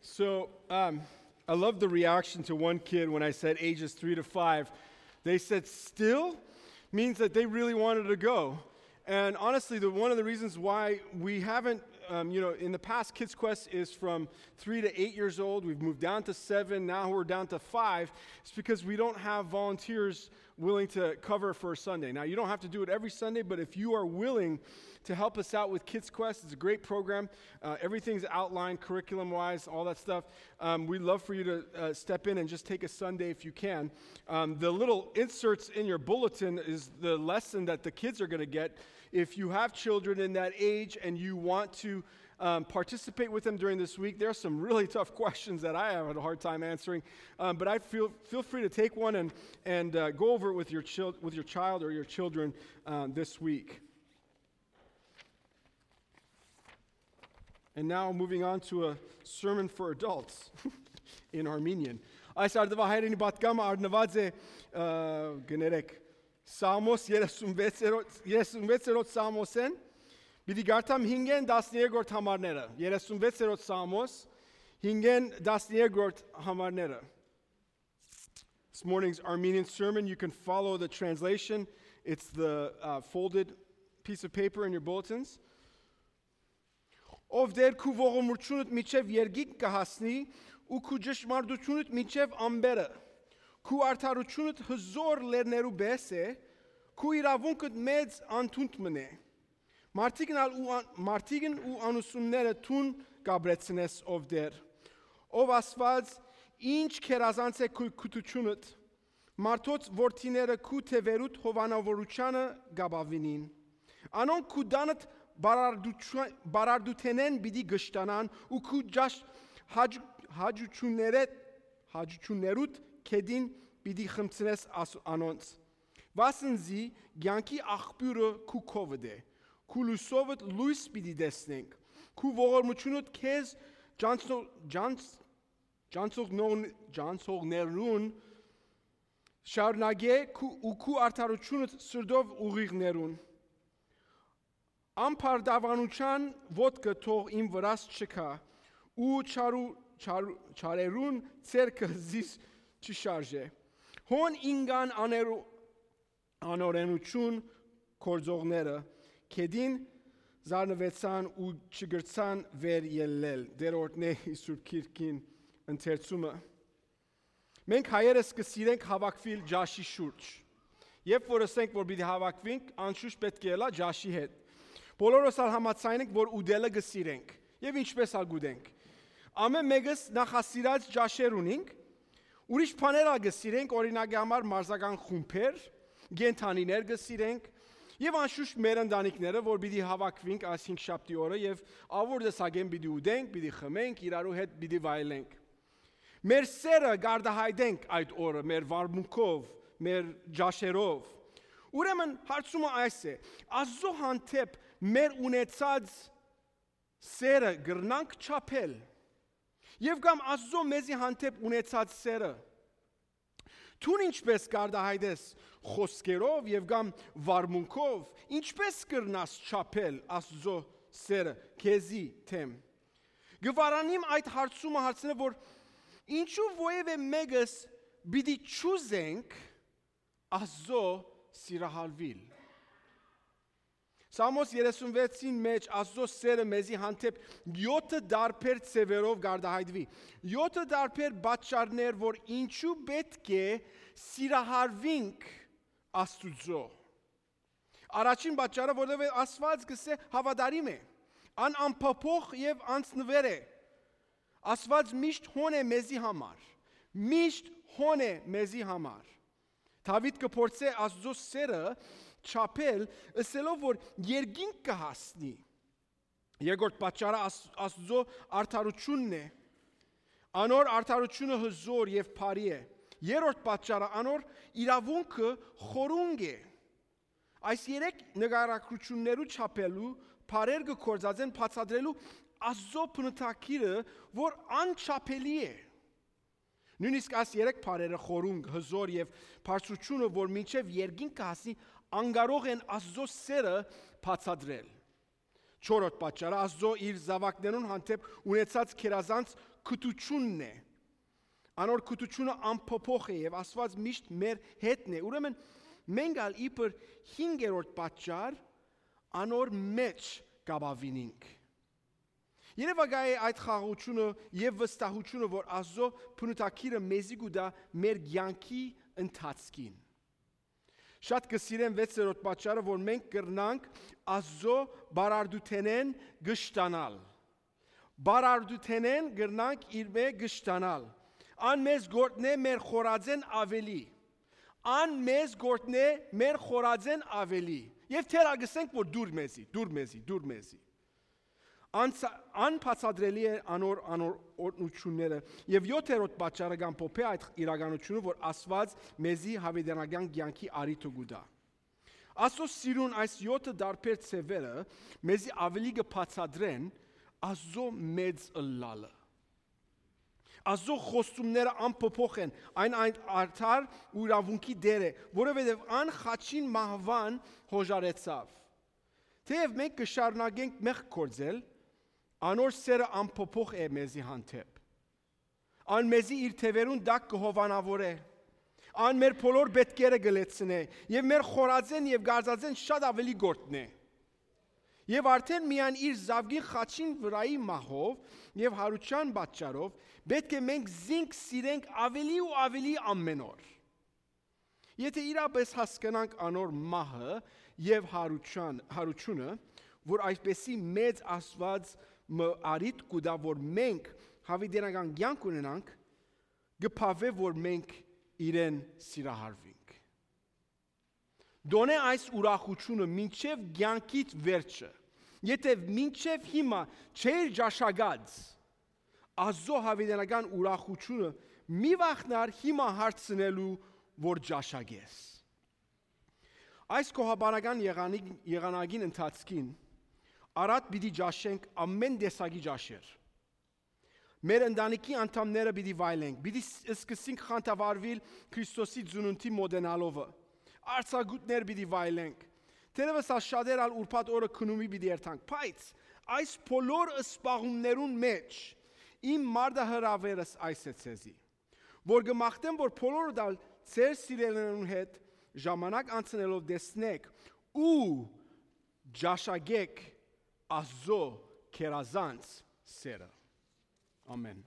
So I love the reaction to one kid when I said ages 3 to 5. They said still means that they really wanted to go. And honestly, one of the reasons why we haven't, in the past, Kids Quest is from 3 to 8 years old. We've moved down to 7. Now we're down to 5. It's because we don't have volunteers willing to cover for a Sunday. Now, you don't have to do it every Sunday, but if you are willing to help us out with Kids Quest, it's a great program. Everything's outlined curriculum-wise, all that stuff. We'd love for you to step in and just take a Sunday if you can. The little inserts in your bulletin is the lesson that the kids are going to get. If you have children in that age and you want to participate with them during this week, there are some really tough questions that I have a hard time answering. But I feel free to take one and go over it with your child or your children this week. And now moving on to a sermon for adults in Armenian. Այս արդվա հայրենի պատգամը արնված է գներեք Սամոս 36-րդ Սամոսեն Պիտի գարտամ 5-ն 13-րդ համարները 36-րդ Սամոս 5-ն 13-րդ համարները. This morning's Armenian sermon, you can follow the translation. It's the folded piece of paper in your bulletins. Ով դեր քու ողորմությունդ միջև երգիկ կհասնի ու քու ճշմարտությունդ միջև ամբերը քու արդարությունդ հզոր լերներու բես է քու իրավունքդ մեծ անթունդ մնե մարդիկն ու անուսունները թուն գաբրեցնես ով դեր ով ասված ինչ քերազանց է քու քութությունդ մարդոց որդիները քու թևերուտ հովանավորությանը գաբավինին անոնք քու դանդ բարարդութենեն բիդի գշտանան ու քու ջաշ հաջություններուտ կեդին բիդի խմցնես անոնց վասնզի գյանքի աղբյուրը քու կովդ է քու լույսովդ լույս բիդի դեսնենք քու ողորմությունդ քեզ ջանցողներուն շարնագե ու քու արդարությունդ սրդով ուղիղներուն Ամփարդավանության ոտքը թող իմ վրաս չքա ու չարերուն ցերկը զիս չշարժե հոն ինգան անորենություն կորձողները կեդին զարնվեցան ու չգրցան վեր ելնել դերորդն է Սուրբ Քիրքին ընթերցումը մենք հայերս կսիրենք հավաքվել ջաշի շուրջ երբ որ ասենք որ պիտի հավաքվենք անշուշտ պետք է ելա ջաշի հետ Բոլորս համաձայն ենք, որ ուդելը գսիրենք եւ ինչպես ագուդենք։ Ամեն մեկս նախասիրած ջաշեր ունենք, ուրիշ բաներ գսիրենք, օրինակի համար մարզական խումբեր, գենթանիներ գսիրենք եւ անշուշտ մեր ընտանիքները, որ պիտի հավաքվենք այս 5 շաբթի օրը եւ ավոր դեսագեն պիտի ուդենք, պիտի խմենք, իրարու հետ պիտի վայելենք։ Մեր սերը գարդահայտենք այդ օրը մեր վարմունքով, մեր ջաշերով։ Ուրեմն հարցումը այս է. Աստծո հանդեպ մեր ունեցած սերը գրնանք չափել եւ կամ Աստծո մեզի հանդեպ ունեցած սերը Թուն ինչպես գարդահայտես խոսքերով եւ կամ վարմունքով ինչպես կրնաս չափել Աստծո սերը քեզի թեմ Գվարանիմ այդ հարցումը հարցնե որ ինչու ովևէ մեկս պիտի ճուզենք Աստծո սիրահարվել Սամոս 36-ին մեջ Աստծո սերը մեզի հանդեպ 7 դարբեր ծևերով գարդահայտվի 7 դարբեր պատճառներ որ ինչու պետք է սիրահարվենք Աստծո Առաջին պատճառը որովհետև Աստված գսե հավատարիմ է անփոփոխ եւ անցնվեր է Աստված միշտ հոն է մեզի համար միշտ հոն է մեզի համար Դավիթ կփորձե Աստծո սերը չափել, ասելով որ երգինք կհասնի։ Երկրորդ պատճառը Աստծո արդարությունն է։ Անոր արդարությունը հզոր եւ բարի է։ Երրորդ պատճառը անոր իրավունքը խորունգ է։ Այս երեք նկարագրություններու չափելու բարեր կկործածեն բացատրելու Աստծո բնութագիրը, որ անչափելի է։ Նույնիսկ այս երեք բարերը խորունգ, հզոր եւ բարձրությունը, որ մինչեւ երգին կհասնի անգարող են Աստծո սերը բացատրել։ Չորրորդ պատճառը Աստծո իր զավակներուն հանդեպ ունեցած քերազանց քտությունն է։ Անոր քտությունը անփոփոխ է եւ Աստված միշտ մեր հետն է։ Ուրեմն մենք ալ իբր 5-րդ պատճառ անոր մեջ կապավինենք։ Երևա գայ այդ խաղաղությունը եւ վստահությունը, որ Աստծո փնուտակիրը մեզի գուտա մեր կյանքի ընթացքին։ Շատ կսիրեմ 6-րդ պատճառը, որ մենք կրնանք Աստծո բարարդութենեն գշտանալ։ Բարարդութենեն կրնանք իր մե գշտանալ։ Ան մեզ գործնե մեր խորածեն ավելի։ Ան մեզ գործնե մեր խորածեն ավելի։ Եվ թերագսենք, որ դուր մեզի։ Անբացատրելի է անոր օրհնությունները եւ 7-րդ պատճառը կամ փոփե այդ իրականությունը, որ Աստված մեզի հավիտենական կյանքի արիթը գուտա։ Աստծո սիրուն այս 7 դարբեր ցևերը մեզի ավելի կբացատրեն Աստծո մեծ ըլլալը։ Աստծո խոստումները անփոփոխ են, այն արդար ու իրավունքի դեր է, որովհետեւ ան խաչին մահվան հոժարեցավ։ Թեև մենք կշարունակենք մեղք գործել, անոր սերը անփոփոխ է մեզի հանդեպ։ Ան մեզի իր թևերուն դակ կհովանավորե։ Ան մեր բոլոր պետքերը գլեցնե եւ մեր խորածեն եւ գարձածեն շատ ավելի գործնե։ Եվ արդեն միայն իր զավգին խաչին վրայի մահով եւ հարության պատճառով պետք է մենք զինք սիրենք ավելի ու ավելի ամեն օր։ Եթե իրապես հասկանանք անոր մահը եւ հարությունը, որ այսպեսի մեծ Աստված արիտ կուտա, որ մենք հավիտենական կյանք ունենանք, գփավե, որ մենք իրեն սիրահարվենք։ Դոնե այս ուրախությունը մինչև կյանքիդ վերջը, եթե մինչև հիմա չէր ճաշակած Աստծո հավիտենական ուրախությունը, մի վախնար հիմա հարցնելու, որ ճաշակես։ Այս կողաբանական եղանակին ընթացքին Արդ պիտի ճաշենք ամեն տեսակի ճաշեր։ Մեր ընտանիքի անդամները պիտի վայելենք, պիտի սկսենք խանդավառվել Քրիստոսի ծնունդի մոդենալովը։ Արցագուտներ պիտի վայելենք։ Թերևս շատեր ալ ուրբաթ օրը քնումի պիտի երթանք, բայց այս բոլոր սպաղումներուն մեջ իմ մարդահրավերս այս է ցեզի, որ գմախտեմ, որ բոլորը դալ ծեր սիրելիներուն հետ ժամանակ անցնելով տեսնեք ու ճաշակեք Աստծո քերազանց սերը։ Ամեն։